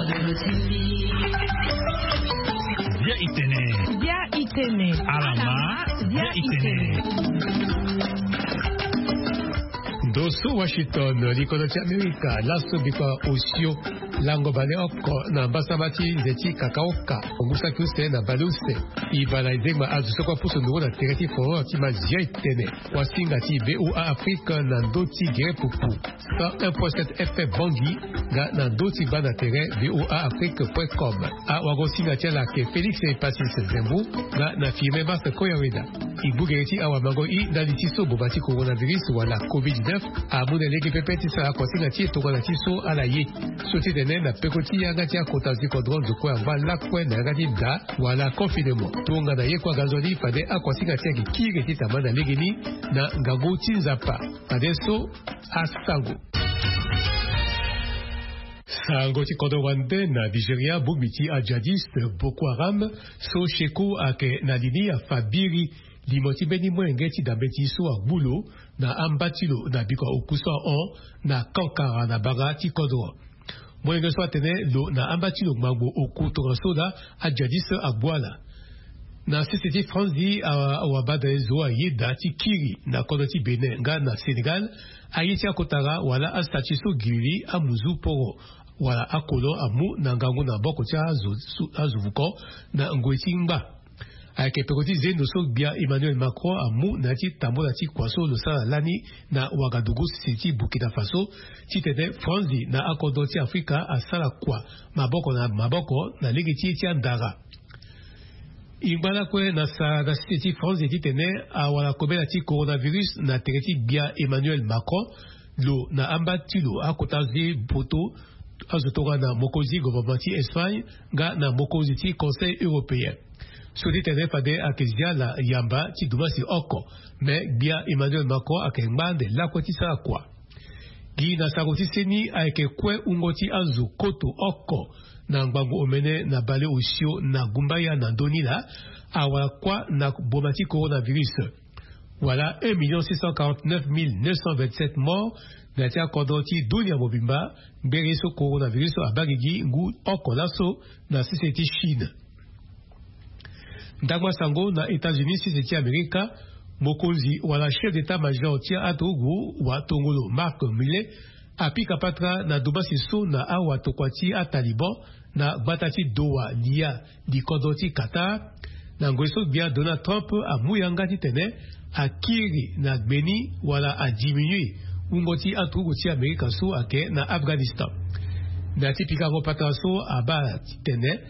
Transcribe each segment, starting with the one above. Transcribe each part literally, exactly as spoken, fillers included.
Bia itene. Bia itene. Alama. Bia itene. Ndo so Washington, likono ti Amerika, laso bikua osio lango baleoko na mbasama ti nze ti kakaoka, ngusa ti use na baleuse. Ibala ezengba azo so kue apusu nduru na tere ti foro ti mazia etene. Wasinga ti VOA Afrique na ndö ti gere pupu cent un point sept F M Bangui, nga na ndö ti gba na tere VOA Afrique point com. Awagosinga ti ala ayeke Félix Epasis Zembu, nga na Firmin Marc Koyaweda. E gbu gere ti awamango i ndali ti so boma ti coronavirus wala covid dix-neuf amu na lege pepe ti sara kuasinga ti e tongana ti so ala ye. So ti tene na peko ti yanga ti akota zi kodro nzokue angba lakue na yanga ti da wala confinement. Tongana ye kue aga nzoni fade akuasinga ti ayeke kiri ti tama na legeni na ngangu ti Nzapa. Fade so asango. Sango ti kodro wande na Nigeria, bongbi ti ajihadiste Boko Haram so Sheku ayeke na li ni afa biri limo ti mbeni molenge ti dambe ti so agbu lo na amba ti lo na bikua oku so ahon na Kankara na banga ti kodro. Molenge so atene lo na amba ti lo ngbangbo oku tongaso laa ajihadiste agbu ala. Na sese ti Franzi, a- awabadale zo ayeda ti kiri na kodro ti Bénin nga na Sénégal. Aye ti akotara wala astatut so giriri amuzu poro wala akolon amu na ngangu na maboko ti azo- su- azo vuko na ngoi ti ngba. Ayeke peko ti zendo so gbia Emmanuel Macron amu na ya ti tambula ti kua so lo sara lani na Ouagadougou, sese ti Burkina Faso, titene Franzi na akodro ti Afrika asara kua maboko na maboko na lege ti ye ti andara. E ngba lakue na sara na sese ti Franzi titene awara kobela ti coronavirus na tere ti gbia Emmanuel Macron. Lo na amba ti lo akota zi poto azo tongana mokonzi gouvernement ti Espagne nga na mokonzi ti Conseil européen. So ti tene fade ayeke zi ala yamba ti dumbasi oko, me gbia Emmanuel Macron ayeke ngba ande lakue ti sara kua. Gi na sango ti seni ayeke kue wungo ti azo koto oko na ngbangbo omene na baleosio na gumbaya na ndö ni laa awara kuâ na boma ti coronavirus. Wala un million six cent quarante-neuf mille neuf cent vingt-sept morts na ya ti akodro ti dunia mobimba. Ngbere so coronavirus so abaa gigi ngu oko laso na sese ti Chine. Ndangba sango na États-Unis, sese ti Amerika, mokonzi wala chef d'état-major ti aturugu watongolo Mark Milley apika patara na dumbasi so na awatokua ti aTaliban na gbata ti Doha, liya likodro ti Qatar. Na ngoi so gbia Donald Trump amu yanga titene akiri na gbe ni wala adiminue wungo ti aturugu ti Amerika so ayeke na Afghanistan. Na ya ti pikango patara so abaa titene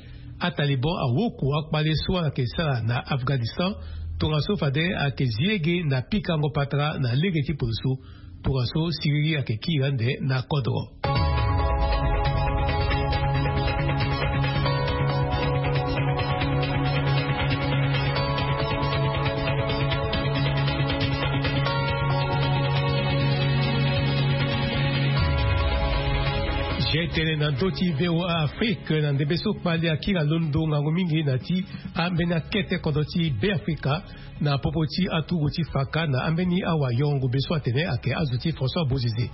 aTaliban awoku akpale so ala yeke sara na Afghanistan, tongaso fade ayeke zi lege na pikango patara na lege ti poloso. Tongaso siriri ayeke kiri ande na kodro. Zia tene na ndö ti VOA Afrique na ndembe so kpale akiri alondo ngangu mingi na ti ambeni akete kodro ti Beafrika. Na popo ti aturugu ti faka na ambeni awayorongo be so atene ayeke azo ti François Bozizé,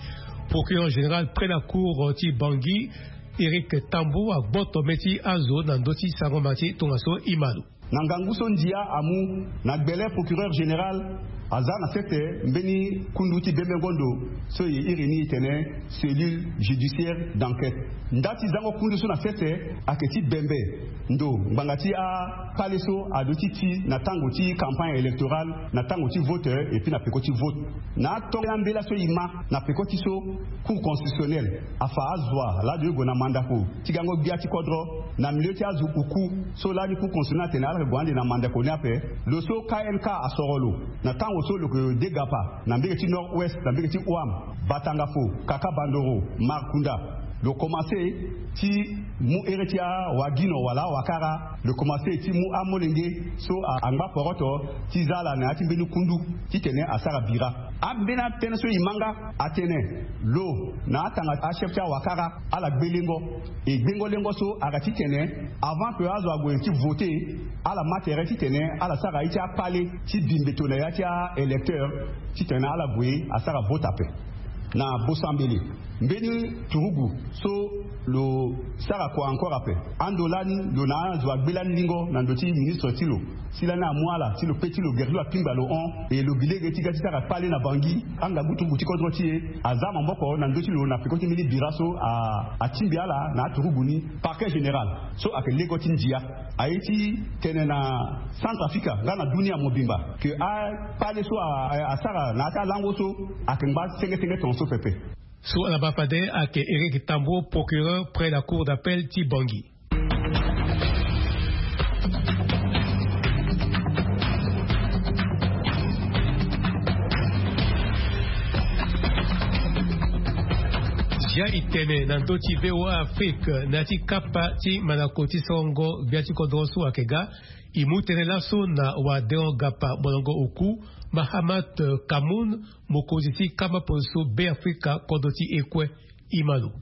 procureur général près la cour ti Bangui, Éric Tambou, agboto mê ti azo na ndö ti sangoma ti tongaso e ma lo. Na ngangu so ndia amu na gbele, procureur général aza na sese mbeni kundu ti bembengo ndo so e iri ni e tene cellule judiciaire d'enquête. Nda ti zango kundu so na sese ayeke ti bembe ndo ngbanga ti akpale so aduti ti na tango ti campagne électorale, na tango ti vote, et puis na peko ti vote. Na atongana mbela so e ma na peko ti so, Cour constitutionnelle afa azo laa ndo e gue na mandako ti gango gbia ti kodro na milieu ti azo oku so lani Cour constitutionnelle atene ala yeke gue ande na mandako ni ape. Lo so K N K asoro lo na tango so lo yeke degapa na mbege ti Nord-Ouest, na mbege ti Ouham, Batangafo, Kaka Bandoro, Markunda. Lo komanse ti mu here ti awagino wala awakara, lo komanse ti mu amolenge so a- angba poroto ti za ala na ya ti mbeni kundu titene asara bira. Ambeni atënë so e ma nga atene lo na atanga achef ti awakara ala gbe lengo. E gbengo lengo so ayeke titene avant que azo ague ti vote, ala ma tere titene ala sara ye ti akpale ti bi mbeto na ya ti a-électeur titene ala gue asara vote ape. Na bosambele, mbeni turugu so Lo sara kua encore ape. Ando lani lo na azo agbe lani lingo na ndo ti ministre ti lo, si lani amu ala ti lo pe ti lo gere ti lo apingba lo hon. E lo gi lege ti ga ti sara kpale na Bangui. Angabu turugu ti kodro ti e aza maboko na ndö ti lo na peko ti mbeni bira so atingbi ala na aturugu ni. Parquet général so ayeke lego ti ndia aye ti tene na Centrafrica nga na dunia mobimba ke akpale so asara na ya ti alango so ayeke ngba senge senge tongaso pepe. So ala baa fade ayeke Eric Tambo, procureur près la cour d'appel ti Bangui. Zia e tene na ndö ti VOA Afrique na ya ti kapa ti mandako ti sorongo gbia ti kodro so ayeke ga. E mu tënë laso na wadeon gapa molongo oku, Mahamat Kamoun, mokonzi ti kama poroso Be Afrika kodro ti e kue. E ma lo.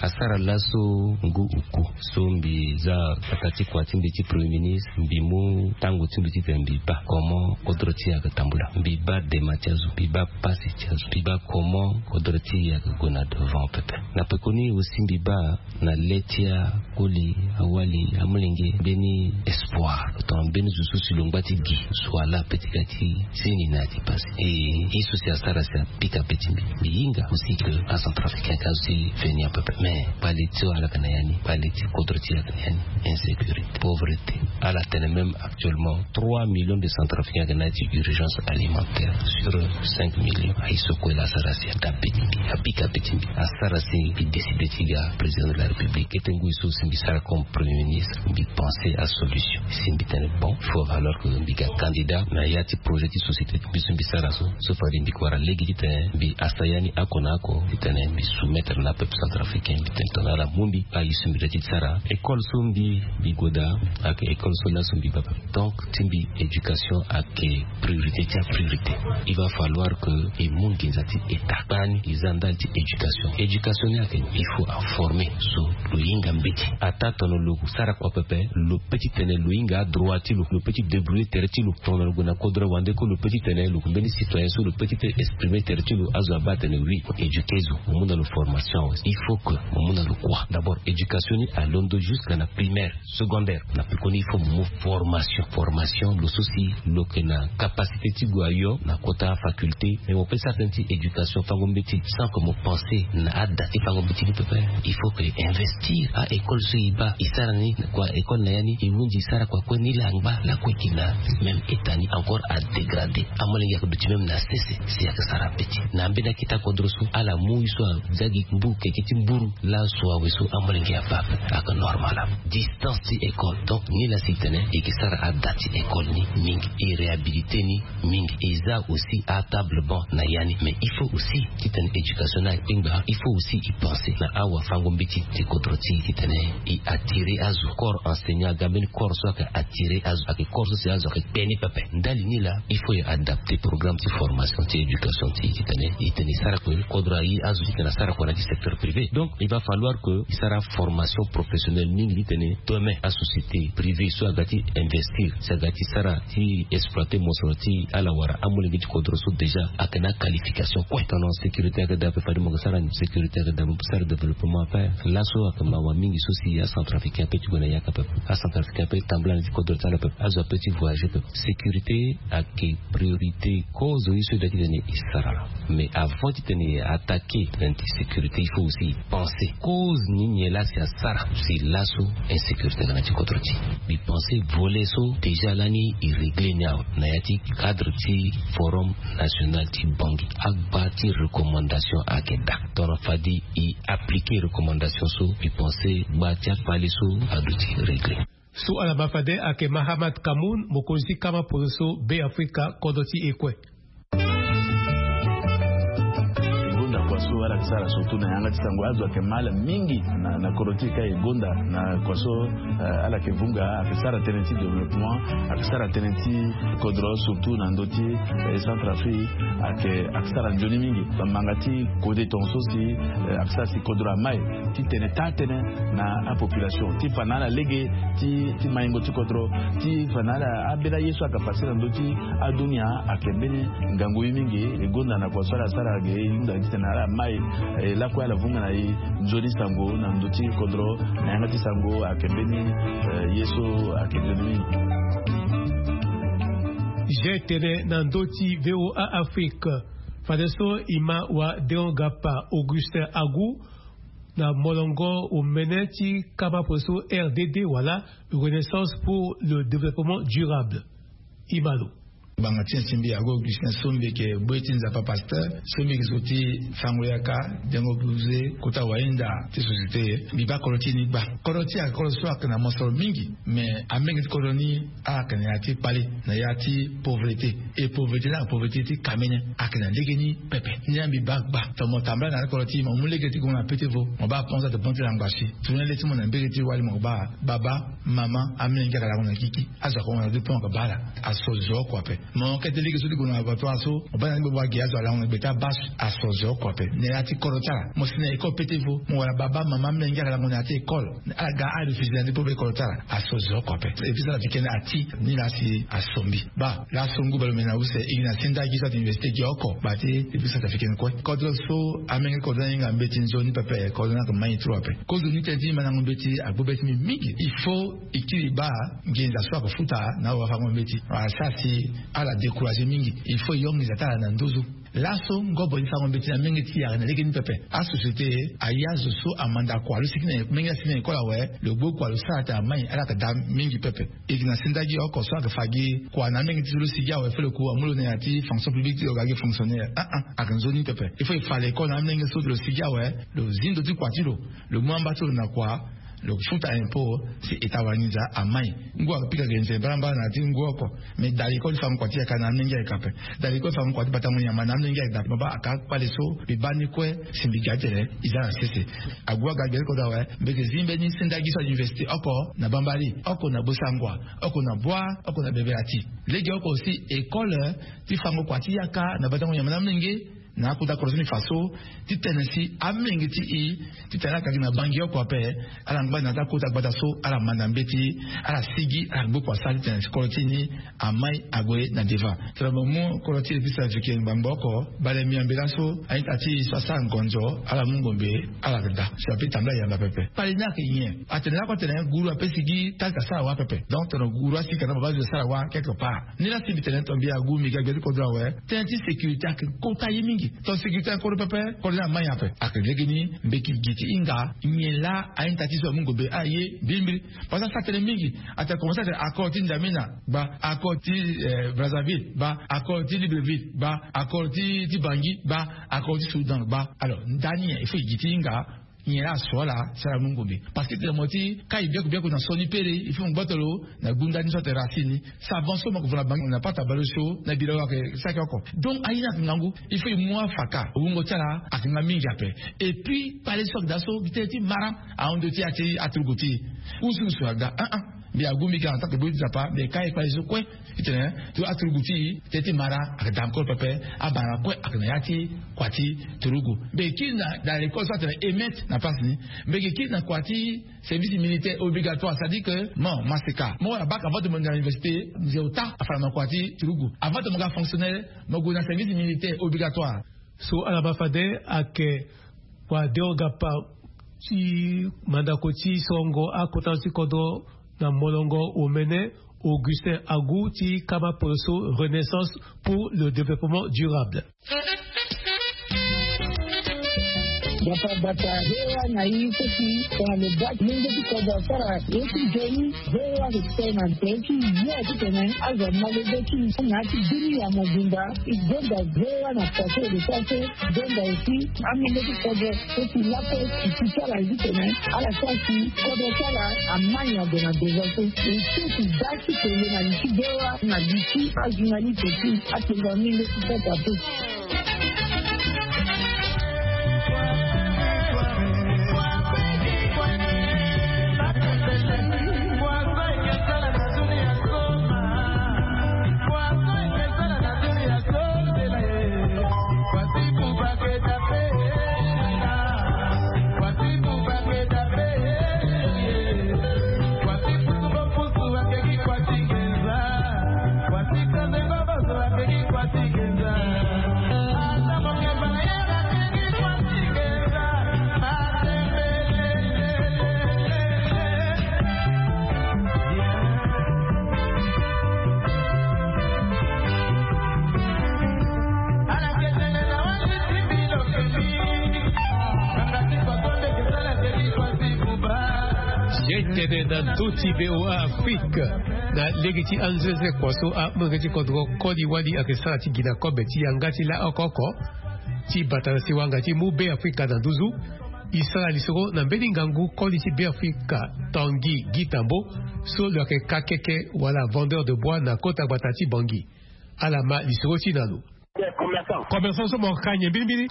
Asara laso ngu oku so mbi za pata ti kua ti mbi ti premier ministre, mbi mu tango ti mbi titene mbi baa comment kodro ti e ayeke tambula. Mbi baa dema ti azo, mbi baa pasi ti azo, mbi baa comment kodro ti e ayeke gue na devant pepe. Na pekoni aussi mbi baa na le ti akoli, awali, amolenge mbeni espoir tongana mbeni zo so si lo ngba ti gi so ala pe ti ga ti zeni na ya ti pasi. E ye so si asara si apika pe ti mbi. Mbi hinga aussi ke acentrafricain ka zo ti veni un peu plus, mais kpale ti ala yeke na ya ni, kpale ti kodro ti ala yeke na ya ni. Insécurité, pauvreté. Ala tene même actuellement trois millions de centrafricains ayeke na ya ti urgence alimentaire sur cinq millions. Aye so kue la asara si ata pe ti mbi, apika pe ti mbi. Asara si mbi décide ti ga président de la République. Kete ngoi so si mbi sara comme premier ministre, mbi pense asolution. Si mbi tene bon, il faut valoir que mbi ga candidat na ya ti projet ti société ti mbi so mbi sara so. So fade mbi kue wara lege titene mbi asa ya ni oko na oko titene mbi soumettre na peuple centrafricain. Mbi tene tongana ala mu mbi, aye so mbi doit ti sara. École so mbi, mbi gue daa ayeke école so laso mbi baa. Donc ti mbi, éducation ayeke priorité ti apriorité. Il va falloir que e mu nginza ti état. Kpani e za ndali ti éducation. Éducation ni ayeke, il faut aformer so lo hinga mbeti. Ataa tongana lo sara kua pepe, lo pe titene lo hinga adroit ti lo, lo pe ti débrouiller tere ti lo. Tongana lo gue na kodro wande kue, lo pe titene lo yeke mbeni citoyen so lo pe ti exprimer tere ti lo. Azo abaa atene oui, mo éduquer zo, mo mu na lo formation. Il faut que mo mu na lo kua. D'abord éducation ni alondo jusqu'à na primaire, secondaire. Na pekoni il faut mo mu formation. Formation, lo so si lo yeke na capacité ti gue ayo na kota faculté, mais mo pe sara tënë ti éducation fango mbeti sans que mo pense na ada ti fango mbeti ni pepe. Il faut que e investir. A-école so e baa, e sara ni kua école na ya ni, e hunzi e sara kua kue, nilaa angba lakue e yeke na même état ni encore adégradé. Amolenge ayeke duti même na sese si ayeke sara mbeti. Na ambeni akita kodro so ala mu ye so aza gi mburu, keke ti mburu. Laso awe so amolenge abaa ayeke normal ape. Distance ti école. Donc nilaa si e tene e yeke sara ada ti école ni mingi, e réhabiliter ni mingi, e za aussi atable banc na ya ni. Mais il faut aussi titene éducation ni akpengba, il faut aussi e pense na awafango mbeti ti kodro ti e titene e attirer azo. Corps enseignant aga mbeni corps so ayeke attirer azo, ayeke corps so si azo ayeke kpe ni pepe. Ndali ni laa il faut e adapter programme ti formation ti éducation ti e titene e tene e sara kue kodro aye azo titene asara kua na ya ti secteur privé. Donc il va falloir que e sara formation professionnelle mingi titene demain asociété privée so aga ti investir, si aga ti sara ti exploiter mosoro ti ala wala amolenge ti kodro so déjà ayeke na qualification kue. Tongana sécurité ayeke daa ape, fade mo yeke sara ni. Sécurité ayeke daa, mo sara développement ape. Laso ayeke mawa mingi so si acentrafricain ape ti gue na yaka pepe. Acentrafricain ape tambula na ya ti kodro ti ala pepe. Azo ape ti voyager pepe. Sécurité ayeke priorité. Cause ye so e doit titene e sara. Mais avant titene e attaquer tënë ti sécurité, il faut aussi e penser cause ni nyen laa si asara si laso insécurité aga na ya ti kodro ti e. Mbi pense volet so déjà lani e régler ni awe na ya ti cadre ti forum national ti Bangui. Agba ti recommandation ayeke daa. Tongana fade e appliquer recommandation so, mbi pense gba ti akpale so aduti régler. So ala ma fade ayeke Mahamat Kamoun, mokonzi ti kama poroso Be Afrika kodro ti e kue. E gonda kua so ala yeke sara surtout na yanga ti sango, azo ayeke mal mingi na, na kodro ti e ka e gonda na kua so, eh, ala yeke vunga, ayeke sara tënë ti développement, ayeke sara tënë ti kodro surtout na ndö ti, eh, Centrafrique. Ayeke ayeke sara nzoni mingi. Bamanga ti kode tonga so si ayeke sara si kodro amai ti tene taa-tënë na apopulation ti fa na ala lege ti maingo ti kodro, ti fa na ala ambeni aye so ayeke pase na ndö ti adunia. Ayeke mbeni ngangu ye mingi. E gonda na kua so ala sara ge e hunda gi titene ala mai e lakue ala vunga na e nzoni sango na ndö ti kodro. Na yanga ti sango ayeke mbeni ye so ayeke nzoni mingi. Jeu tene na ndö ti VOA Afrique. Fadeso e ma wa Deon Gapa Augustin Agu na molongo omene ti kama polo so RDD wala Renaissance pour le Développement Durable. E ma lo. Ngbanga ti nyen ti mbi? Agu Augustin so mbi yeke bue ti Nzapa, pasteur so mbi yeke zo ti fango yaka, dengo buze, kota wahinda ti société. Mbi baa kodro ti e ni gba. Kodro ti e ayeke kodro so ayeke na mosoro mingi. Mais amenge ti kodro ni ala yeke na ya ti kpale, na ya ti pauvreté. E pauvreté ni ayeke pauvreté ti kamene. Ayeke na lege ni pepe. Ni la mbi baa gba. Tongana mo tambula na ya ti kodro ti e, mo mu lege ti gue na pete vo, mo baa pense ate bon ti langba si. Tourner le ti mo na mbege ti wali, mo baa baba, mama, amolenge ayeke lango na kiki. Azo ayeke hon na deux points, ayeke baa ala. Aso zo oko ape. Mo kete lege so ti gue na laboratoire so, mo baa na ni gbogbo agi, azo alango na gbe ti abaa. Aso zo oko ape. Na ya ti kodro ti ala, mo si na école pete vo, mo wara baba, mama, amolenge ayeke lango na ya ti école. Ala ga, ala refusé na ni pauvre école ti ala. Aso zo oko ape. Et puis ça, la week-end ati ni la si aso mbi. Baa laso ngu baleomene na use, e gi na senda gi so ate université gi oko. Baa ti e puis ça, la week-end kue. Kodro so amenge ti kodro ni ahinga mbeti nzoni pepe, kodro ni ayeke mai trop ape. Kozo ni tënë ti mandango mbeti agbu be ti mbi mingi. Il faut e kiri baa nginza so ayeke futa na awafango mbeti. Wala sara si ala découragé mingi. Il faut e yo nginza ti ala na nduzu. Laso ngobo ti fango mbeti na menge ti e ayeke na lege ni pepe. Asociété aye azo so amanda kua lo sigi na menge ti asigi na école awe, lo gbu kua lo sara ate amai, ala yeke daa mingi pepe. E yeke na senda gi oko so ayeke fa gi kua na amenge ti so lo sigi awe, fo lo ku amu lo na ya ti fonction publique ti lo ga gi fonctionnaire. Ah ah, ayeke nzoni pepe. Il faut e fa l'école na amenge so lo sigi awe, lo zi ndo ti kua ti lo, lo mu amba ti lo na kua, lo futa impôt si État wara nginza amai. Ngu ayeke pika ge nze mbarambara na ya ti ngu oko. Mais da l'école ti fango kua ti yaka na amolenge ayeke ape. Da l'école ti fango kua ti batango nyama na amolenge ayeke daa. Mo baa aka kpale so mbi baa ni kue si mbi ga ti tene e za na sese. Agu aga gbia ti kodro awe, mbi yeke zi mbeni senda gi so a université oko na Bambari, oko na Bossangoa, oko na Bouar, oko na Bebeyati. Lege oko si école ti fango kua ti yaka na batango nyama na amolenge. Na akota kodro so mbi fa so ti tene si amolenge ti e ti tene ala yeke gi na Bangui oko ape, ala ngba na ya ti akota gbata so ala manda mbeti, ala sigi, ala gbu kua sara ti tene si kodro ti e ni amai ague na devant. Tongana mo mu kodro ti e ti Centrafrique ngbangbo oko, bale mbi na mbi laso, a-ita ti e so asara ngonzo, ala mu ngombe, ala yeke daa so ape tambula yamba pepe. Kpale ni ayeke nyen? Atene lakue atene guru ape sigi, tali ka sara wâ pepe. Donc tongana guru asigi ka na baba zo sara wâ quelque part. Ni la si mbi tene tongana mbi agu mbi ga gbia ti kodro awe, tënë ti sécurité ayeke kota ye mingi. Tongana sécurité ayeke kodro pepe, kodro ni amai ape. Ayeke lege ni mbi yeke gi ti hinga nyen la a-ita ti so amu ngombe, aye, mbilimbili. Parce que asara tënë mingi. Atene komanse atene accord ti N'Djamena, baa, accord ti Brazzaville, baa, accord ti Libreville, baa, accord ti Bangui, baa, accord ti Soudan, baa. Alors ndani nyen il faut e gi ti hinga? Nyen la aso ala sara mu ngombe? Parce que tene mo ti kai biaku biaku na so ni pere, il faut mo gboto lo na gunda ni so ate racine ni. Savon so mo yeke vo na bangi na pata baleosio na bira wa ayeke saki oko. Donc aye ni ayeke ngangu. Il faut e mu afaka. Wungo ti ala ayeke nga mingi ape. Et puis kpale so ayeke daa so gi tënë ti mara ahon ndo ti ya ti aturugu ti e. Usuusu aga. Ah ah. Mbi agu mbi ga en tant que boi ti Nzapa, mbi yeke kai kpale so kue. Ti tene ti aturugu ti e, tënë ti mara ayeke daa encore pepe. Abana kue ayeke na ya ti kua ti turugu. Mbi yeke kiri na dans l'école so atene E M E T na place ni. Mbi yeke kiri na kua ti service militaire obligatoire, c'est-à-dire que mo maseka, mo wara bac avant ti mo gue na université, nze ota afa na mo kua ti turugu. Avant ti mo ga fonctionnaire, mo gue na service militaire obligatoire. So ala ma fade ayeke wa Deon Gapa ti mandako ti sorongo akota ti kodro na molongo omene, Augustin Agu ti kama poloso Renaissance pour le développement durable. Bata bata, V O A na i so si tongana lo baa ti lenge ti kodro asara ye ti nzoni, V O A ayeke tene na tere ti yo titene azo amolenge ti na ya ti bini ya mobimba. E gonda V O A na kua so e yeke sara so. Gonda aussi amolenge ti kodro so si lakue ti ti ti ala ye titene ala sara si kodro ti ala amai ague na devant so. E so si da ti tene na li ti V O A na li ti ajournaliste ti atengo amolenge ti kodro ape. Etene na ndö ti VOA Afrique. Na lege ti anzenze kua so amolenge ti kodro koli wali ayeke sara ti gi na kobe ti yanga ti laoko oko ti bata na siwa nga ti mu Beafrika na nduzu. E sara lisoro na mbeni ngangu koli ti Beafrika, Tanguy Guy Tambo, so lo yeke kakeke wala vendeur de bois na kota gbata ti Bangui. Ala ma lisoro ti na lo. Commerçant so mo ka nyen mbirimbiri?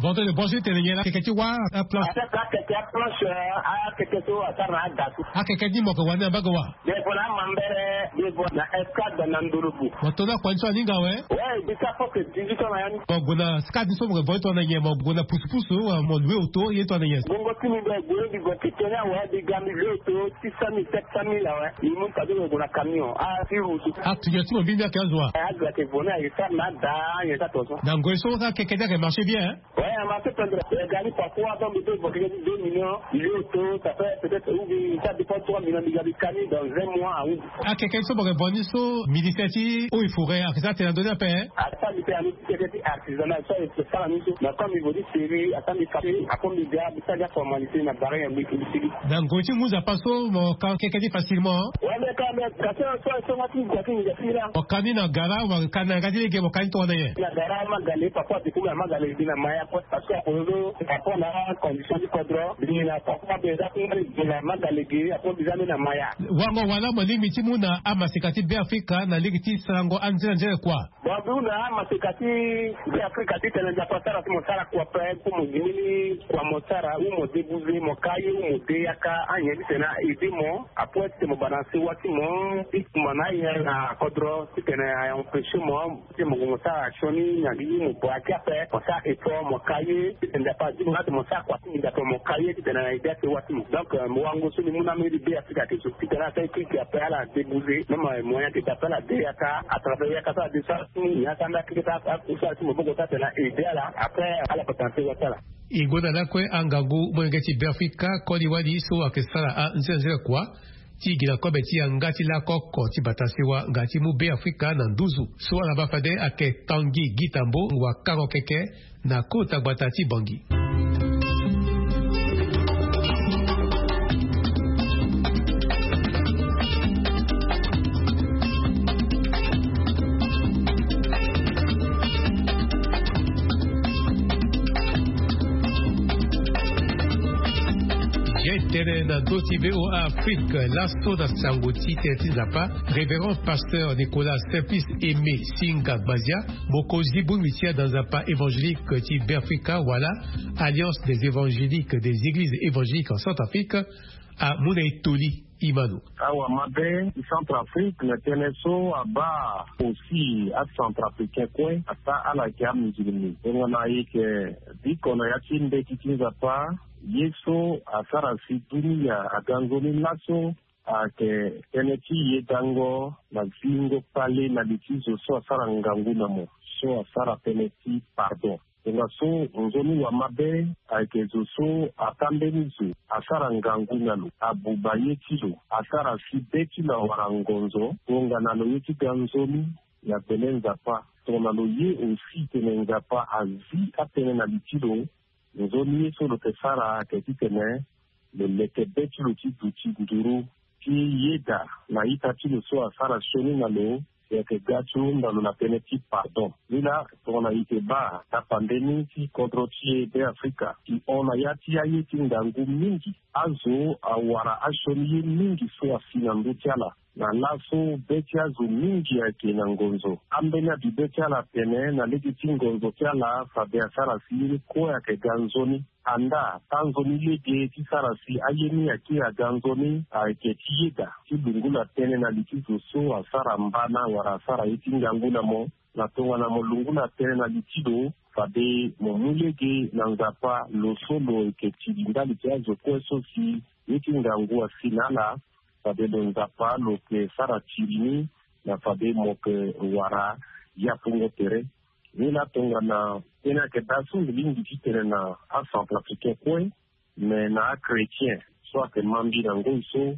Vendeur de bois so ti tene nyen la? Akeke ti wâ aplanche. Akeke aplanche, akeke so asara na ada so. Akeke ni mo yeke wani na mbage wa? Devant na mambere, devant na escadre na ndolobu. Mo to na kua ni so aninga awe? Ouais, bisa fo ke dix-huit ans na ya ni. Mo gue na skad ni so mo ke vo ye tongana nyen? Mo gue na pusupusu wa mo lue oto ye tongana nyen? Bongo ti mi be gue di gue ti tene awe, di ga mi lue oto six cent mille, sept cent mille awe. Mi mu kado mo gue na camion. Ah, si rusu. Ah, tu viens ti mo mbini ake azo wa? Eh, azo ake vo ni aye sara na ada, aye sara tonso. Na ngoi so akeke ni ayeke marché bien, hein? Ouais, a marché pendere. Eh, gari parfois, donc, il peut évoquer deux millions, il est auto, ça fait peut-être, ou bien, ça dépend trois millions de gari cani dans un mois, oui. Akeke so mo ke vo ni so, ministère ti eaux et forêts ayeke za tene na ndö ni ape, hein? Asa mi pe ami ti keke ti artisanal, so e sara ni so. Na comme il veut dire série, asa mi kate, ako mi dia, mi sa dia formalité na barre ya mi kili kili. Na ngoi ti ngu nzapa so mo ka keke ni facilement, hein? Ouais, mais quand même, kasi so, so, so, ti ngu ti ngu ti la. Mo ka ni na gara, mo ka ni na yanga ti lege, mo ka ni tongana nyen? Na gara Magale, papa, depuis na Magale, bi na Maya, quoi. Parce que akozo, papa na condition ti kodro, bi na papa, be za ti ngari, bi na Magale, bi, apo bi za ni na Maya. Wango wala mo lingbi ti mu na amaseka ti Beafrika na lege ti sarango anzere anzere kua? Bon, bi mu na amaseka ti Beafrika ti tene Nzapa sara ti mo sara kua pe, po mo gi mbeni kua mo sara, ou mo débouser, mo ka ye, ou mo de yaka, anyen ti tene a aider mo, après ti tene mo bana sewa ti mo, ti kumba na aye na kodro, ti tene a empêcher mo, ti mo gue mo sara sioni na gi mo bua ti ape, mo sara effort, mo ka ye, ti tene Nzapa azi mo na ti mo sara kua ti nginza ape mo ka ye, ti tene na aider asewa ti mo. Donc, euh, mo wango so ni mu na mbeni Beafrika ti so. Ti tene asara équipe ape ala débouser, même, euh, moyen ti d'appel ala de yaka, à travers yaka so ala de sara ti ni, yaka nda keke ti akusala ti maboko ti atene aider ala, après, ala bata na sewa ti ala. E gonda lakue angangu molenge ti Beafrika koli wali so ayeke sara anzenze kua ti gi na kobe ti yanga ti laoko oko ti bata sewa nga ti mu Beafrika na nduzu. So ala baa fade ayeke Tanguy Guy Tambo, wa kango keke na kota gbata ti Bangui. Ye tene na ndö ti VOA Afrique, laso na sango ti tene ti Nzapa, révérend pasteur Nicolas Simplice Aimé Singa Gbazia, mokonzi bongbi ti adanzapa évangélique ti Beafrika wala Alliance des évangéliques des églises évangéliques en Centrafrique, amu na e toli. Imano. Awa mabe ti Centrafrique na tënë so abaa aussi aCentrafricain kue, ata ala yeke amusulmi. Tongana e yeke biko na ya ti mbeti ti Nzapa, ye so asara si dunia aga nzoni laso, ayeke tënë ti yedango na zingo kpale na li ti zo so asara ngangu na mo, so asara tënë ti pardon. Tongaso nzoni wa mabe ayeke zo so ata mbeni zo asara ngangu na lo, abuba ye ti lo, asara si be ti lo awara ngonzo, tongana lo ye ti ga nzoni na bele Nzapa. Tongana lo ye aussi tene Nzapa azi atënë na li ti lo, nzoni ye so lo yeke sara ayeke titene lo leke be ti lo ti duti nduru ti yeda na ita ti lo so asara sioni na lo, e yeke ga ti hunda lo na tënë ti pardon. Ni laa, tongana e yeke baa tapande ni ti kodro ti e Beafrika, e hon na ya ti aye ti ngangu mingi. Azo awara asioni ye mingi so asi na ndö ti ala. Na laso be ti azo mingi ayeke na ngonzo. Ambeni abi be ti ala atene na lege ti ngonzo ti ala fade asara si ye ni kue ayeke ga nzoni. Andaa, tanzoni lege ti sara si aye ni akiri aga nzoni ayeke ti yeda ti lungu na tënë na li ti zo so asara mbana wala asara ye ti ngangu na mo. Na tongana mo lungu na tënë na li ti lo, fade mo mu lege na Nzapa, lo so lo yeke tiri ndali ti azo kue so si ye ti ngangu asi na ala, fade lo Nzapa lo yeke sara tiri ni, na fade mo yeke wara yapungo tere. Ni laa tongana tënë ayeke daa so mbi lingbi ti tene na aCentrafricain kue, me na achrétien so ayeke ma mbi na ngoi so,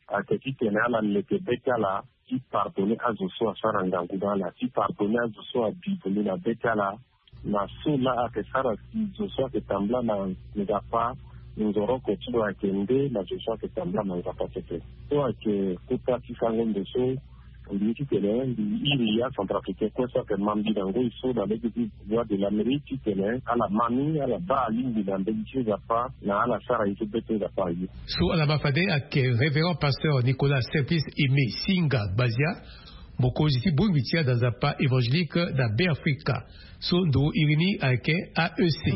ayeke titene ala leke be ti ala ti pardonner azo so asara ngangu na ala, ti pardonner azo so abi vundu na be ti ala, na so laa ayeke sara si zo so ayeke tambula na Nzapa Nzoroko ti lo ayeke nde na zo so ayeke tambula na Nzapa pepe. So ayeke kota ti sango ndo so mbi ye titene mbi iri acentrafricain kue so ayeke ma mbi na ngoi so na lege ti Voix de l'Amérique titene ala ma mbi, ala baa alingbi na mbeni ti Nzapa, na ala sara ye so be ti Nzapa aye. So ala ma fade ayeke révérend pasteur Nicolas Simplice Aimé Singa Gbazia, mokonzi ti bongbi ti ada Nzapa évangélique na Beafrika. So ndo iri ni ayeke A E C.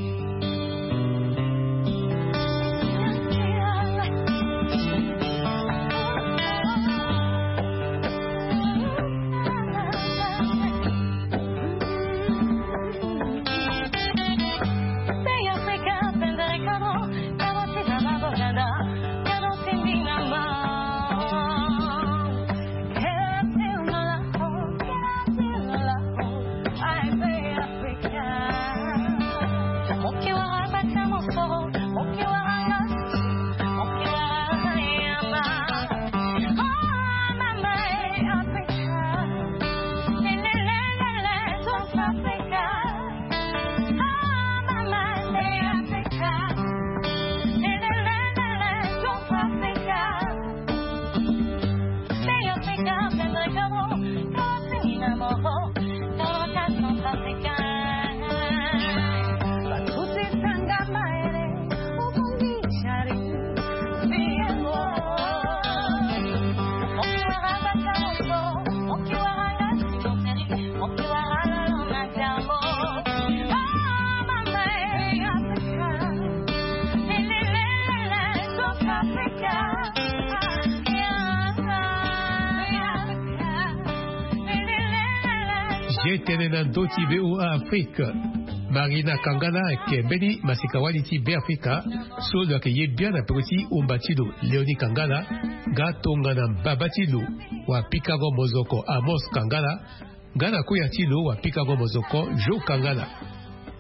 Ye tene na ndö ti V O A Afrique. Marina Kangala ayeke mbeni maseka-wali ti Beafrika so lo yeke ye biani na peko ti omba ti lo Léonie Kangala, nga tongana mbaba ti lo wapikango mozoko Amos Kangala, nga na koya ti lo wapikango mozoko Jo Kangala.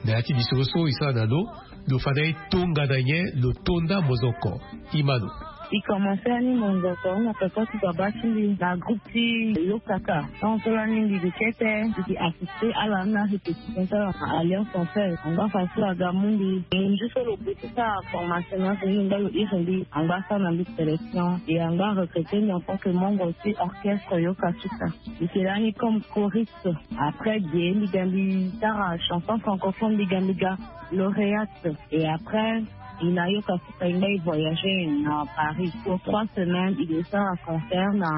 Na ya ti bisoro so e sara na lo, lo fa na e tongana nyen lo to nda mozoko. Imano. E komanse ani mozoko na peko ti baba ti mbi na groupe ti Yokaka. Tant so lani mbi gi kete, mbi gi assisté ala na répétition ti ala na Alliance en Fer. Angba fa so aga mu mbi. Ngu so lo gue ti sara formation na so mbi ngba lo iri mbi, angba sara na mbi sélection. Et angba recruté mbi en tant que membre ti orchestre Yokasuka. Mbi yeke lani comme choriste. Après ge mbi ga mbi sara chanson francophone, mbi ga mbi ga lauréate. Et après, e na Yokasuka e ngba e voyagé na Paris pour trois semaines, e ke sara concert na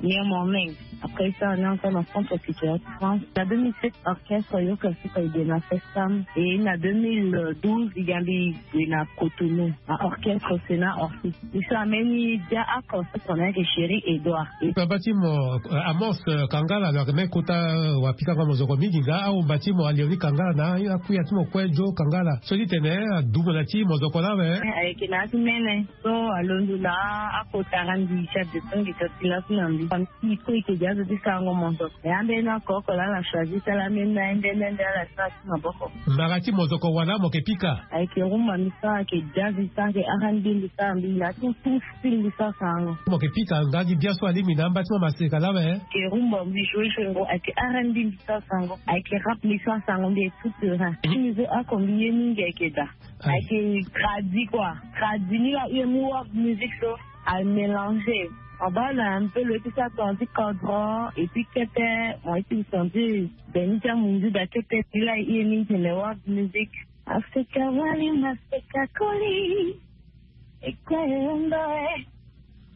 Niamey. Après e sara ni encore na Centre Culturel de France. Na deux mille sept, orchestre Yokasuka e gue na Festam. Et na deux mille douze e ga mbi gue na Cotonou na orchestre Sénat Orchestre. E sara mbeni dia oko so tongana ayeke Chéri Edouard. Baba ti mo, eh, Amos, eh, Kangala, lo yeke mbeni kota, eh, wapikango mozoko mingi, nga ahomba ti mo Léonie Kangala na akuya ti mo kue Jo Kangala. So ti tene, eh, adumo na ti mozoko lawe. Eh, ayeke na ya ti mene. So alondo na akota randi ti adetongi ti ti laso na mbi. Famille ti e kue e yeke gi azo ti sarango mozoko. E ambeni oko oko laa ala choisi ti ala ambeni na nde nde nde ala sara ti maboko. Mbara ti mozoko wala mo yeke pika? Ayeke rumba mbi sara, ayeke jazz mbi sara, ayeke R and B mbi sara, mbi na tout, tout style mbi sara sarango. Mo yeke pika nga gi bia so alingbi na amba ti mo maseka lawe? Ayeke rumba mbi joue joue ngo, ayeke R and B mbi sara sarango, ayeke rap mbi sara sarango, mbi est tout terrain. Mhm. Ti mbi so oko mbi ye mingi ayeke daa. Ah. Ayeke tradi quoi. Tradi ni laa e mu world music so a mélanger. Mo baa na un peu lo ye ti sara tonga ti kodro et puis kete mo ye ti senti beni ti amunzu daa kete. Ni laa e ye mingi tene world music. Afrika wali maseka koli. E kue e hunda e.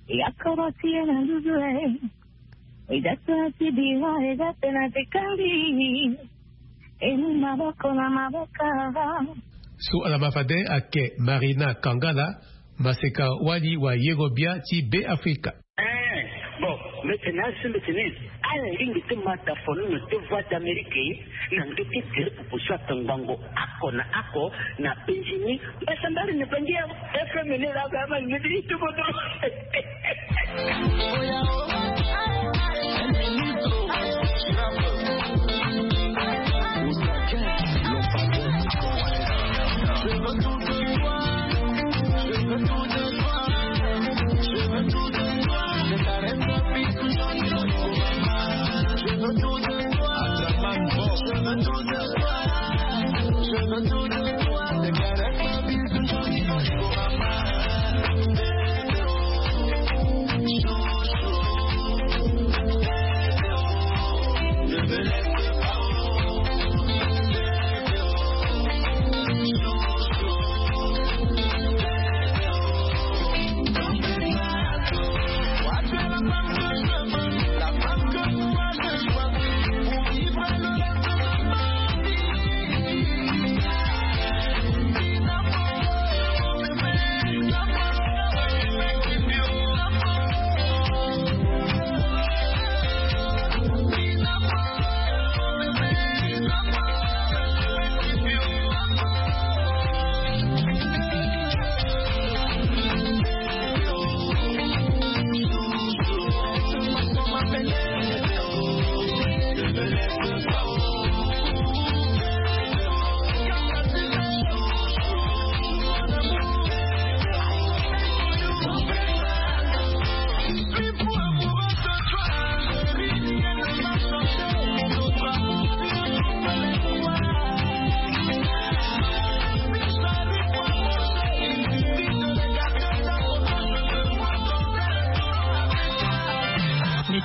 E akoro ti e na nduzu e. E da tena ti biro e da tena ti kandi. E mu maboko na maboko. So ala ma fade ayeke Marina Kangala, maseka wali wayengo bia ti Beafrika. Eh, bon, mbi tene asi mbi tene ala lingbi ti ma dafono na ti Voix d'Amérique na ndö ti tere pupu so atongbango oko na oko na penzi ni. Mbasambari na bangi awe. F M ni laa, ama ni ti tubodo.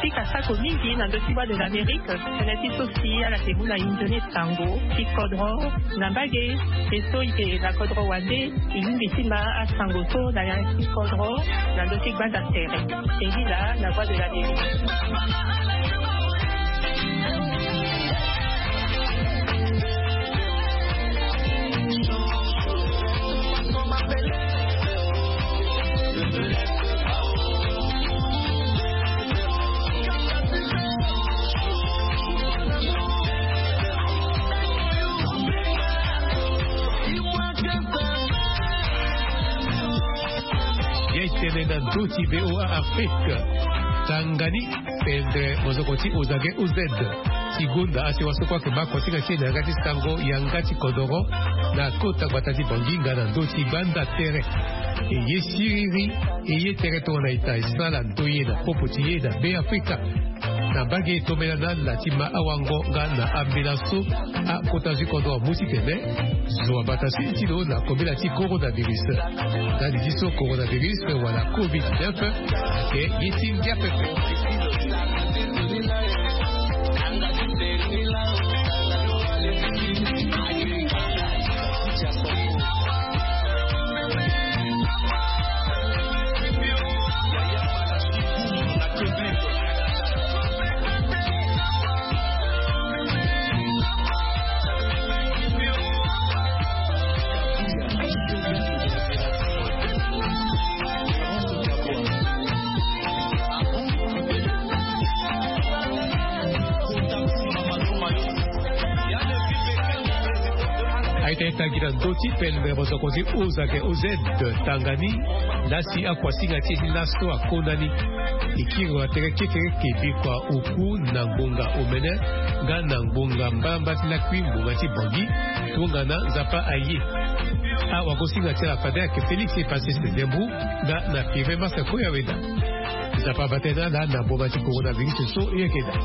Afrika asako mingi na ndö ti Voix de l'Amérique. Tënë ti so si ala yeke mu na e nzoni sango ti kodro na mbage. E so e yeke na kodro wande, e lingbi ti ma asango so na ya ti kodro na ndö ti gbanda tere. E ngi laa na Voix de l'Amérique. Ye tene na ndö ti V O A Afrique. Tanga ni. Pendre mozoko ti Ozage O Z ti gonda asewa so kue ayeke baa kosinga ti e na yanga ti sango yanga ti kodoro na kota gbata ti Bangui nga na ndö ti gbanda tere. E ye siriri, e ye tere tongana ita e sara ndoye na popo ti e na Be Afrika. Na mbage e tombela na ala ti ma awango nga na ambela so akota zu kodro amu titene zo abata si ti lo na kobela ti coronavirus. Ndali ti so coronavirus wala covid neuf ayeke ye ti ngia pepe. Aita e tangi na ndö ti pele mosoko ti Ozage O Z tanga ni. Lasi akuasinga ti e ti laso akona ni. E kiri na tere kekereke bikua oku na ngbonga omene nga na ngbonga mbamba ti lakui ngbonga ti Bangui. Tongana Nzapa aye, awagosinga ti ala fade ayeke Félix Epasese Dembou nga na Firmin Masako Yaweda. Nzapa abaa tënë na ala na ngbonga ti coronavirus so e yeke daa.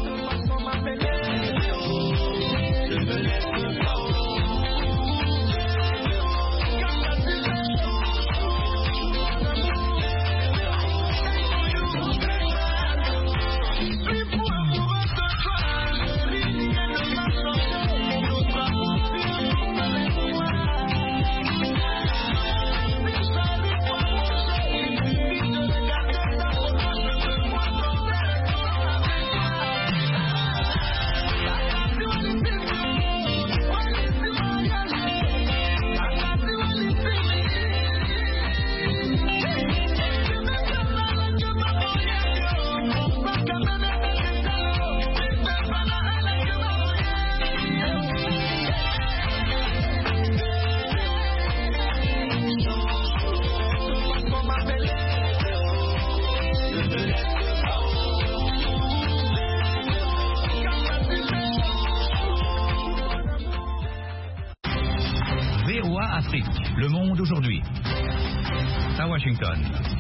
V O A Afrique, le monde aujourd'hui. À Washington.